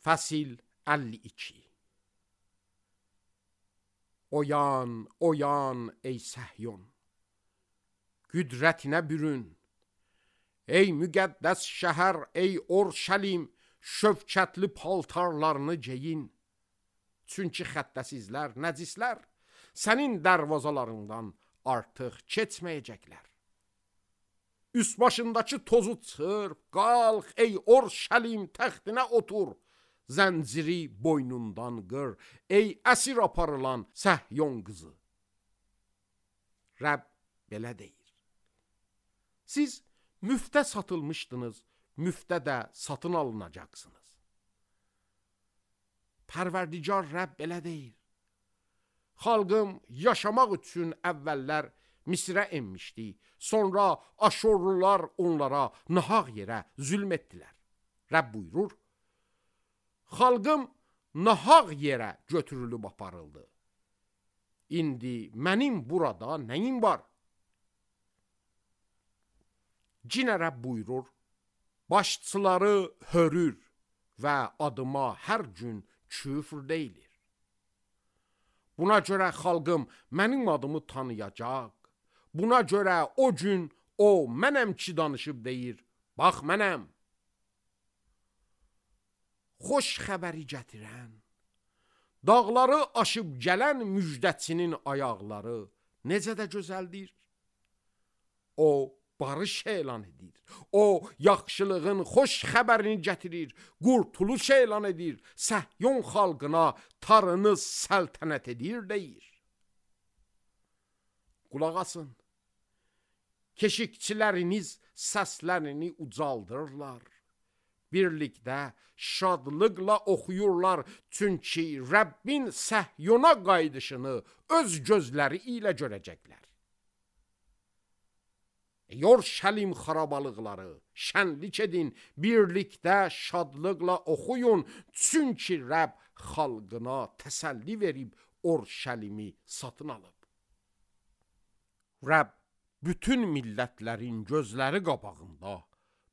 Fəsil 52. Oyan, oyan ey Səhyon, qüdrətinə bürün. Ey müqəddəs şəhər, ey Orşəlim, şövkətli paltarlarını geyin. Çünki xəttəsizlər, nəcislər sənin dərvazalarından artıq keçməyəcəklər. Üst başındakı tozu çırp, qalx ey Orşəlim, təxtinə otur. Zənciri boynundan qır, ey əsir aparılan Səhyon qızı. Rəbb belə deyir. Siz müftə satılmışdınız, müftə də satın alınacaqsınız. Pərverdigar Rəbb belə deyir. Xalqım yaşamaq üçün əvvəllər Misrə enmişdi, sonra Aşorlular onlara nahaq yerə zülm etdilər. Rəbb buyurur, xalqım nahaq yerə götürülüb aparıldı. İndi mənim burada nəyim var? Cinə Rəbb buyurur, başçıları hörür və adıma hər gün küfr deyilir. Buna görə xalqım mənim adımı tanıyacaq. Buna görə o gün o mənəm ki danışıb deyir, bax mənəm. Xoş xəbəri gətirən, dağları aşıb gələn müjdəçinin ayaqları necə də gözəldir. O barış elan edir, o yaxşılığın xoş xəbərini gətirir, qurtuluş elan edir, Səhyon xalqına tarınız səltənət edir deyir. Qulaq asın, keşikçiləriniz səslərini ucaldırlar. Birlikdə şadlıqla oxuyurlar, çünki Rəbbin Səhyona qayıdışını öz gözləri ilə görəcəklər. Orşəlim xarabalıqları, şənlik edin, birlikdə şadlıqla oxuyun, çünki Rəbb xalqına təsəlli verib Orşəlimi satın alıb. Rəbb bütün millətlərin gözləri qabağında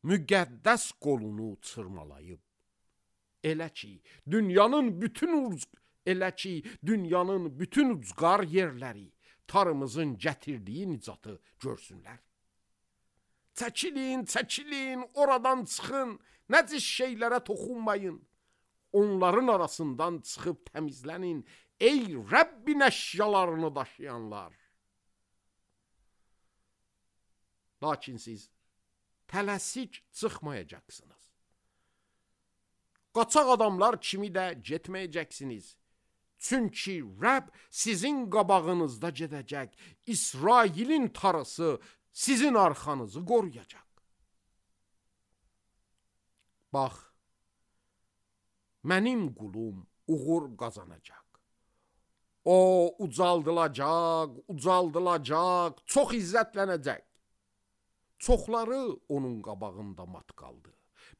müqəddəs qolunu çırmalayıb. Elə ki, dünyanın bütün ucqar yerləri tarımızın gətirdiyi nicatı görsünlər. Çəkilin, çəkilin, oradan çıxın, nəcis şeylərə toxunmayın. Onların arasından çıxıb təmizlənin, ey Rəbbin əşyalarını daşıyanlar. Lakin siz tələsik çıxmayacaqsınız. Qaçaq adamlar kimi də getməyəcəksiniz. Çünki Rəbb sizin qabağınızda gedəcək. İsrailin tarısı sizin arxanızı qoruyacaq. Bax, mənim qulum uğur qazanacaq. O ucaldılacaq, çox izzətlənəcək. Çoxları onun qabağında mat qaldı.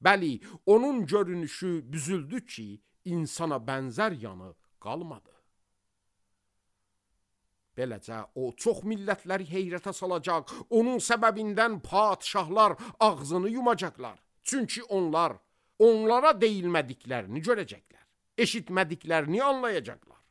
Bəli, onun görünüşü büzüldü ki, insana bənzər yanı qalmadı. Beləcə, o çox millətləri heyrətə salacaq, onun səbəbindən padşahlar ağzını yumacaqlar. Çünki onlara deyilmədiklərini görəcəklər, eşitmədiklərini anlayacaqlar.